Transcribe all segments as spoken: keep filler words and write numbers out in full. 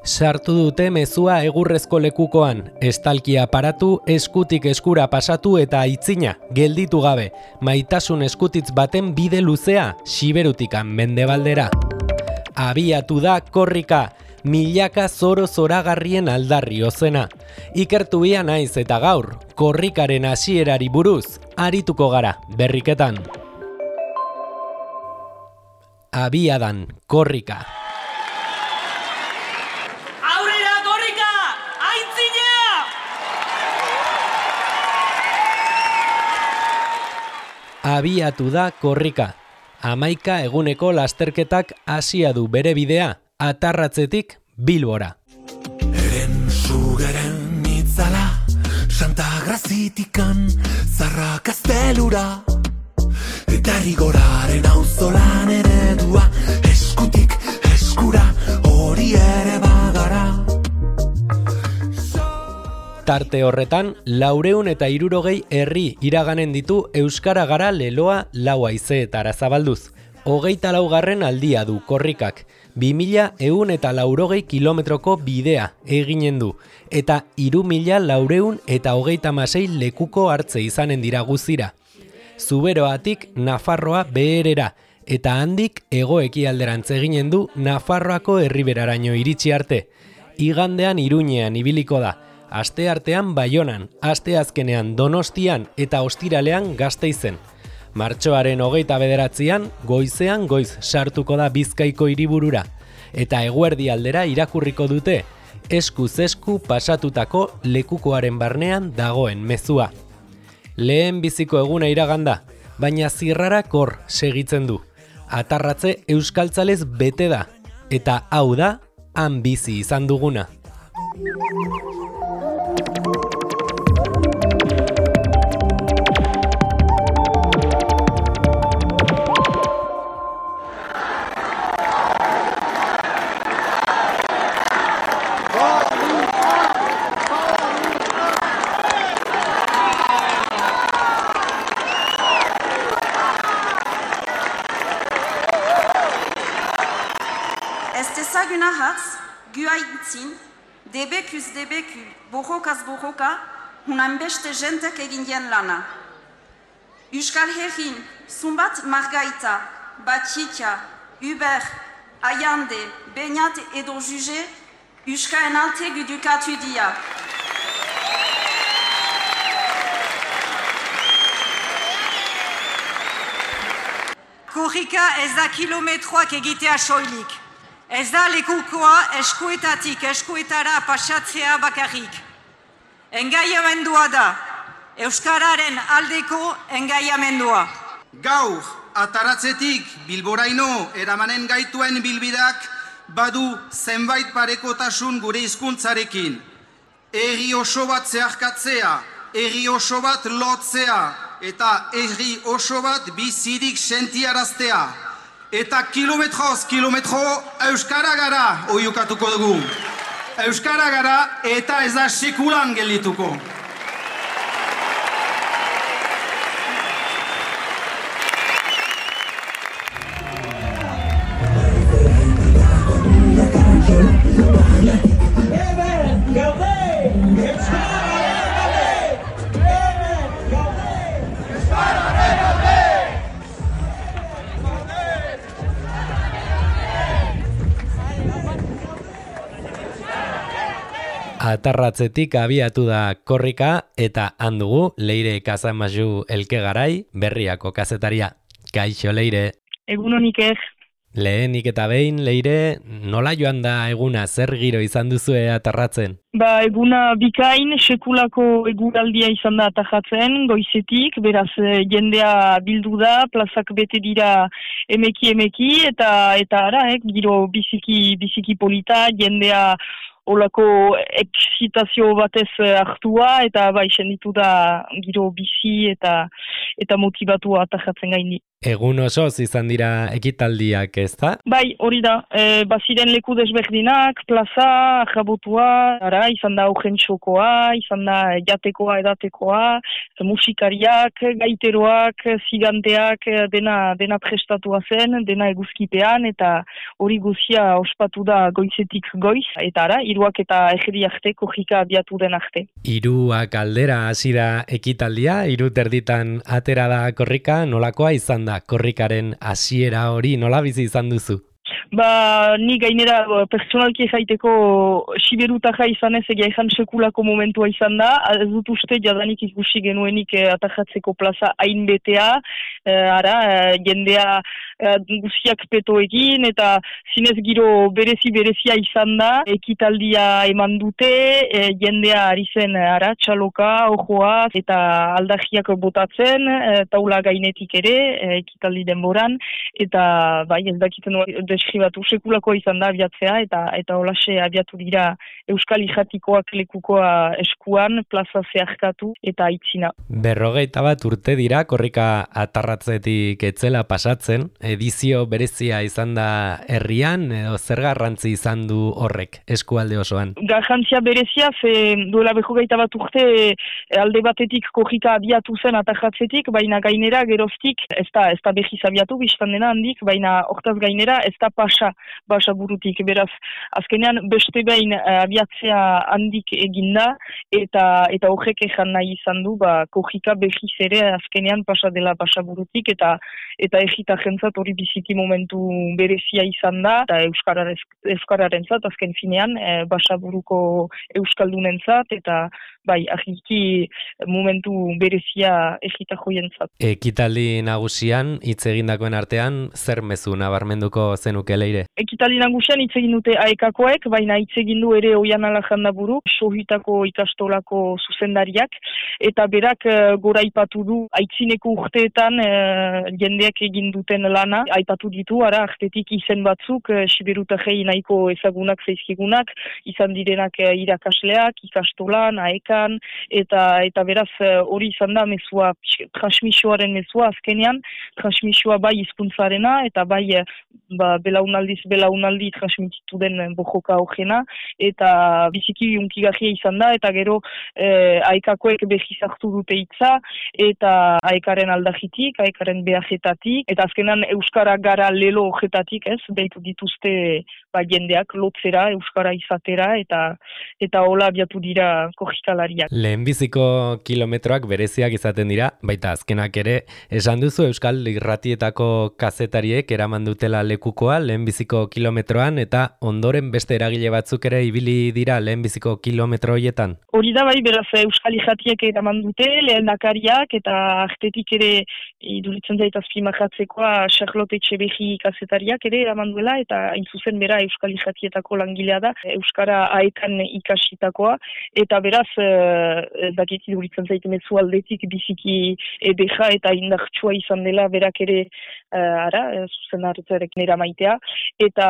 Sartu dute mezua egurrezko lekukoan, estalkia paratu, eskutik eskura pasatu eta aitzina, gelditu gabe, maitasun eskutitz baten bide luzea, Siberutikan mendebaldera. Abiatu da korrika, milaka zoro zoragarrien aldarri ozena. Ikertu ia naiz eta gaur, korrikaren hasierari buruz, arituko gara, berriketan. Abiadan, korrika. Abiatu da korrika. Hamaika eguneko lasterketak hasia du bere bidea, Atarratzetik Bilbora. Eren sugeren itzala, Santa Grazitikan, Zarra Kastelura, eta rigoraren auzolan eredua, eskutik eskura, hori ere bagara. Tarte horretan, laureun eta hirurogei herri iraganen ditu Euskara Gara leloa lau haizeetara zabalduz. Hogeita laugarren aldia du korrikak, bi mila ehun eta laurogei kilometroko bidea eginen du, eta hiru mila laureun eta hogeita hamasei lekuko hartze izanen dira guzira. Zuberoatik Nafarroa beherera, eta handik hego-ekialderantz eginen du Nafarroako herriberaraino iritsi arte. Igandean Iruñean ibiliko da, asteartean Baionan, asteazkenean Donostian eta ostiralean Gasteizen. Martxoaren hogeita bederatzian, goizean goiz sartuko da Bizkaiko hiriburura, eta eguerdi aldera irakurriko dute, eskuz esku pasatutako lekukoaren barnean dagoen mezua. Lehen biziko eguna iraganda, baina zirrarak hor segitzen du. Atarratze euskaltzalez bete da, eta hau da, han bizi izan duguna. Ez dezaguna hatz, gua itzin, debekuz debeku, borrokaz borroka, hunan beste jentek egin dien lana. Euskal Herrin, Zumbat Margaita, Batxikia, Uber, Aiande, Beñat edo Juge, Euskaren alte gudukatu dia. Korrika ez da kilometroak egitea soilik. Ez da lekukoa eskuetatik eskuetara pasatzea bakarrik. Engaiamendua da, Euskararen aldeko engaiamendua. Gaur, Ataratzetik Bilboraino eramanen gaituen bilbidak badu zenbait parekotasun gure hizkuntzarekin. Herri oso bat zeharkatzea, herri oso bat lotzea, eta herri oso bat bizirik sentiaraztea. Eta kilometroz, kilometro, Euskara Gara oiukatuko dugu. Euskara Gara eta ez da sekulan geldituko. Atarratzetik abiatu da korrika eta handugu Leire Kazamazu Elkegarai, Berriako kazetaria. Kaixo, Leire. Egun honik ez. Lehenik eta behin, Leire, nola joan da eguna, zer giro izan duzue Atarratzen? Ba, eguna bikain, sekulako eguraldia izan da Atarratzen, goizetik, beraz jendea bildu da, plazak bete dira emeki emeki, eta eta ara, eh, giro biziki, biziki polita, jendea olako eksitazio batez hartua, eta bai, senditu da giro bizi eta eta motibatua Atarratzen gaindi. Egun osoz izan dira ekitaldiak, ez da? Bai, hori da, e, baziren leku desberdinak, plaza, ajabotua, ara, izan da augen txokoa, izan da jatekoa, edatekoa, musikariak, gaiteroak, ziganteak, dena, dena prestatua zen, dena eguzkipean, eta hori guzia ospatu da goizetik goiz, eta ara, hiruak eta egeri arte, kojika abiatu den arte. Hiruak aldera hasi da ekitaldia, hiru terditan atera da korrika, nolakoa izan da? Korrikaren hasiera hori nola bizi izan duzu? Ba, ni gainera personalki jaiteko siberutaja izan ez egia ezan sekulako momentua izan da, ez dut uste jadanik ikusi genuenik eh, atajatzeko plaza hain betea, eh, ara, eh, jendea eh, guziak peto egin, eta zinez giro berezi-berezia izan da, ekitaldia eman dute, eh, jendea ari zen, ara, txaloka, ojoa, eta aldagiak botatzen, eh, taula gainetik ere, eh, ekitaldi denboran, eta bai, ez dakiten deskribatu sekulako izan da abiatzea, eta eta holaxe abiatu dira Euskal Ijatikoak lekukoa eskuan, plaza zeharkatu eta itzina. Berrogeita bat urte dira, korrika atarratzetik etzela pasatzen, edizio berezia izan da herrian, edo zer garrantzi izan du horrek, eskualde osoan? Garrantzia berezia, ze duela berrogeita bat urte alde batetik korrika abiatu zen atarratzetik, baina gainera geroztik, ez da, ez da behiz abiatu, biztan dena handik, baina hortaz gainera, ez da pasa, basa burutik, beraz, azkenean beste behin uh, abiatzea handik eginda, eta eta horrek ezan nahi izan du, ba, kojika behiz ere azkenean pasa dela basa burutik, eta eta egita jentzat hori biziki momentu berezia izan da, eta Euskararen, Euskararen zat, azken finean, e, basa buruko Euskaldunentzat, eta bai, argiki momentu berezia egita joien zat. Ekitaldi nagusian, hitz egindakoen artean, zer mezu nabarmenduko zenuke Leire? Ekitaldi nagusian hitz egin dute aekakoek, baina hitz egin du ere Oian Alajandaburu, sohitako ikastolako zuzendariak, eta berak e, gora aipatu du, aitzineko urteetan e, jendeak egin duten lana, aipatu ditu, ara, artetik izen batzuk, e, siberutajei nahiko ezagunak zaizkigunak, izan direnak e, irakasleak, ikastolan, aekan, eta eta beraz hori izan da mezua, transmisioaren mezua azkenean, transmisioa bai hizkuntzarena eta bai ba, belaunaldiz belaunaldi transmititu den bojoka hogena, eta biziki unkigarria izan da, eta gero eh, aekakoek behiz hartu dute hitza, eta aekaren aldajitik, aekaren behajetatik, eta azkenan Euskara gara lelo hojetatik, ez, behitu dituzte ba, jendeak lotzera, Euskara izatera, eta eta hola abiatu dira korrikalariak. Lehenbiziko kilometroak bereziak izaten dira, baita azkenak ere, esan duzu Euskal Irratietako kazetariek eraman dutela lekukoa lehenbiziko kilometroan, eta ondoren beste eragile batzuk ere ibili dira lehenbiziko kilometro horietan? Hori da bai, beraz Euskal Irratiek eraman dute, lehendakariak, eta artetik ere iduritzen zait azpimarratzekoa Charlotte Etxeberri kazetariak ere eraman duela, eta hain zuzen bera Euskal Irratietako langilea da, Euskara aekan ikasitakoa, eta beraz dakit iduritzen zait mezu aldetik biziki edeja eta indartsua izan dela berak ere uh, ara, zuzen hartzarekin eramaitea, eta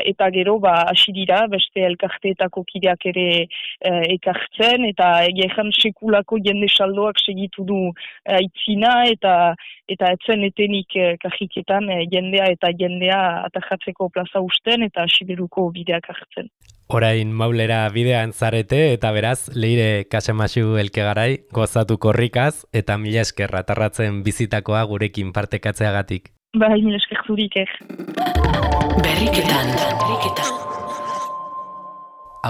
eta gero ba hasi dira beste elkarteetako kideak ere uh, ekartzen, eta egean sekulako jende saldoak segitu du uh, itzina, eta eta etzen etenik uh, kajiketan uh, jendea eta jendea atajatzeko plaza usten eta siberuko bideak hartzen. Orain Maulera bidean zarete, eta beraz, Leire Kasemaxu Elkegarai, gozatu korrikaz, eta mila esker atarratzen bizitakoa gurekin partekatzeagatik. Bai, mila esker zurik, eh. Berriketan, berriketan.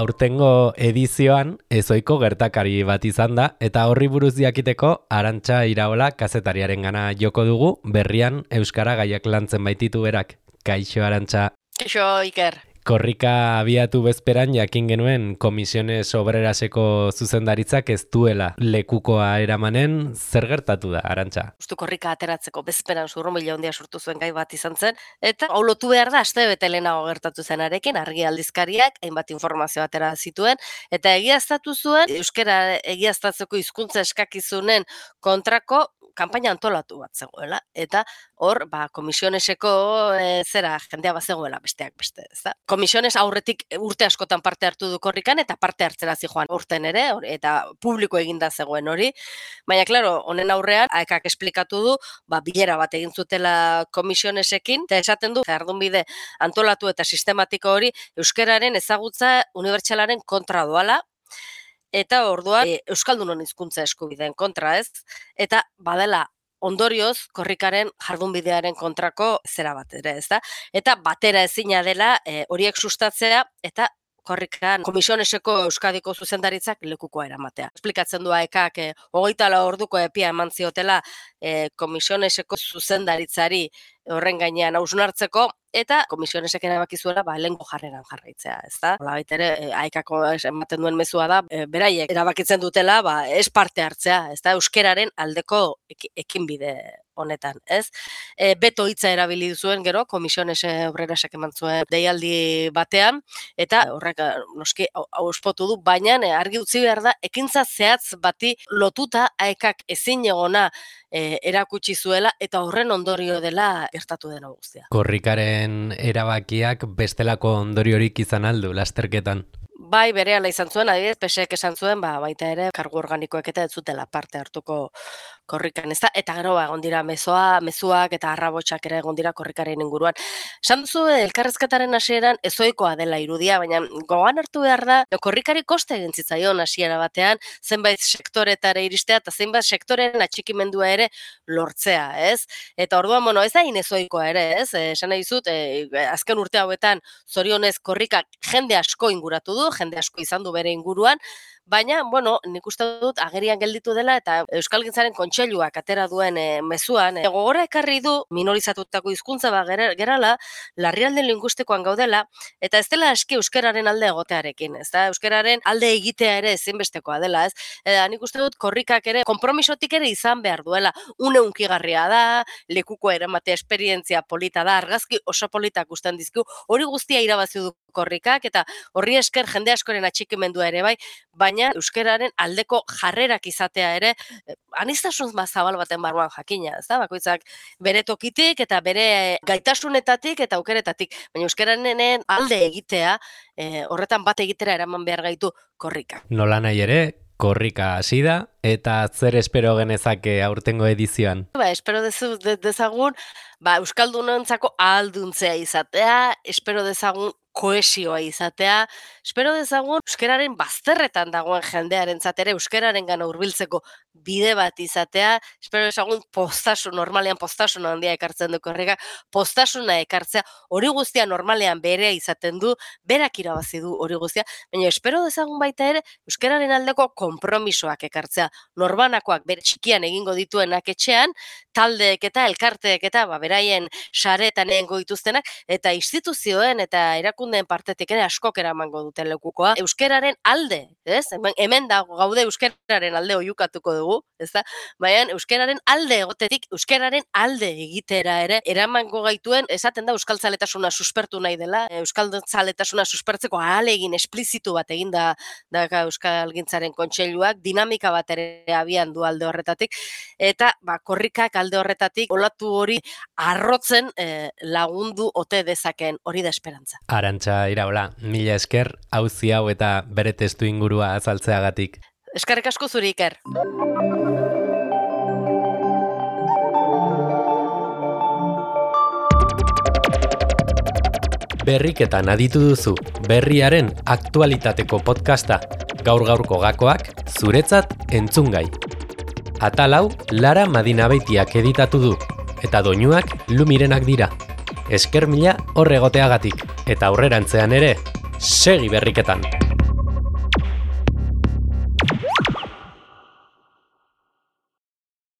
Aurtengo edizioan ezoiko gertakari bat izan da, eta horri buruz jakiteko Arantxa Iraola kazetariaren gana joko dugu, berrian Euskara gaiak lantzen baititu berak. Kaixo, Arantxa. Kaixo, Iker. Korrika abiatu bezperan jakin genuen Komisiones Obreraseko zuzendaritzak ez duela lekukoa eramanen, zer gertatu da, Arantxa? Justu korrika ateratzeko bezperan zurrumila handia sortu zuen gai bat izan zen, eta hau lotu behar da, aste bete lehenago gertatu zenarekin, argi aldizkariak, hainbat informazio atera zituen, eta egiaztatu zuen, euskara egiaztatzeko hizkuntza eskakizunen kontrako kanpaina antolatu bat zegoela, eta hor, ba, komisioneseko e, zera jendea bat zegoela besteak beste, ez da? Komisiones aurretik urte askotan parte hartu du korrikan, eta parte hartzera zijoan urten ere, or, eta publiko eginda zegoen hori, baina, klaro, honen aurrean, aekak esplikatu du, ba, bilera bat egin zutela komisionesekin, eta esaten du, jardunbide antolatu eta sistematiko hori, euskararen ezagutza unibertsalaren kontra doala, eta orduan e, euskaldunon hizkuntza eskubideen kontra, ez? Eta badela ondorioz korrikaren jardunbidearen kontrako zera bat ere, ez da? Eta batera ezina dela e, horiek sustatzea eta korrikan komisioneseko Euskadiko zuzendaritzak lekukoa eramatea. Esplikatzen du aekak e, hogeita lau orduko epia eman ziotela e, komisioneseko zuzendaritzari horren gainean hausnartzeko, eta komisionesek erabaki zuela ba, lehenko jarreran jarraitzea, ez da? Hola baitere, e, aekako ematen duen mezua da, e, beraiek erabakitzen dutela, ba, ez parte hartzea, ez da? Euskeraren aldeko ekinbide honetan, ez? E, beto hitza erabili zuen gero, komisionese obrerasak eman zuen deialdi batean, eta horrek noski auspotu du, baina argi utzi behar da, ekintza zehatz bati lotuta aekak ezin egona e, erakutsi zuela, eta horren ondorio dela gertatu dena guztia. Korrikaren erabakiak bestelako ondoriorik izan aldu lasterketan. Bai, berehala izan zuen, adibidez, pesek esan zuen, ba, baita ere, kargu organikoek eta ez zutela parte hartuko korrikan, ez da? Eta gero, ba, egon dira mezoa, mezuak eta arrabotsak ere egon dira korrikaren inguruan. Esan duzu, elkarrezketaren hasieran ezoikoa dela irudia, baina gogoan hartu behar da, korrikari koste egin zitzaion hasiera batean, zenbait sektoretara iristea eta zenbait sektoren atxikimendua ere lortzea, ez? Eta orduan, bueno, ez da inezoikoa ere, ez? Esan nahi dizut, e, azken urte hauetan zorionez korrikak jende asko inguratu du, jende asko izan du bere inguruan, baina, bueno, nik uste dut agerian gelditu dela eta Euskalgintzaren kontseiluak atera duen e, mezuan, e, gogora ekarri du minorizatutako hizkuntza ba gerala, larrialde linguistikoan gaudela, eta ez dela eski euskararen alde egotearekin, ez da? Euskararen alde egitea ere ezinbestekoa dela, ez? Eta nik uste dut korrikak ere, konpromisotik ere izan behar duela, une unkigarria da, lekuko eramatea esperientzia polita da, argazki oso politak usten dizkigu, hori guztia irabazi du korrikak, eta horri esker jende askoren atxikimendua ere bai, baina euskararen aldeko jarrerak izatea ere, aniztasun zabal baten barruan jakina, ez da? Bakoitzak bere tokitik eta bere gaitasunetatik eta aukeretatik, baina euskararen alde egitea, e, horretan bat egitera eraman behar gaitu korrikak. Nola nahi ere, korrika hasi da, eta zer espero genezake aurtengo edizioan? Ba, espero dezu, de, dezagun, ba, euskaldunontzako ahalduntzea izatea, espero dezagun koesioa izatea, espero dezagun euskararen bazterretan dagoen jendearen zatera, euskararen gana hurbiltzeko bide bat izatea, espero dezagun postasun, normalean postasun handia ekartzen du korrika, postasuna ekartzea, hori guztia normalean berea izaten du, berak irabazi du hori guztia, baina espero dezagun baita ere euskararen aldeko konpromisoak ekartzea, norbanakoak bere txikian egingo dituenak etxean, taldeek eta elkarteek eta ba, beraien saretan egingo dituztenak, eta instituzioen eta erakundeen partetik ere askok eramango duten lekukoa, euskararen alde, ez? Hemen, hemen da gaude euskararen alde oiukatuko dugu, ez da? Baina euskararen alde egotetik, euskararen alde egitera ere, eramango gaituen, esaten da euskaltzaletasuna suspertu nahi dela, euskaltzaletasuna suspertzeko ahalegin esplizitu bat egin da, da Euskalgintzaren kontseiluak, dinamika bat ere abian du alde horretatik, eta ba, korrikak alde horretatik olatu hori arrotzen eh, lagundu ote dezakeen hori da esperantza. Arantxa Iraola, mila esker, auzi hau eta bere testu ingurua azaltzeagatik. Eskerrik asko zuri, Iker. Berriketan aditu duzu, berriaren aktualitateko podcasta, gaur-gaurko gakoak, zuretzat entzungai. Atal hau, Lara Madinabeitiak editatu du, eta doinuak Lumirenak dira. Esker mila horregoteagatik, eta aurrerantzean ere, segi berriketan!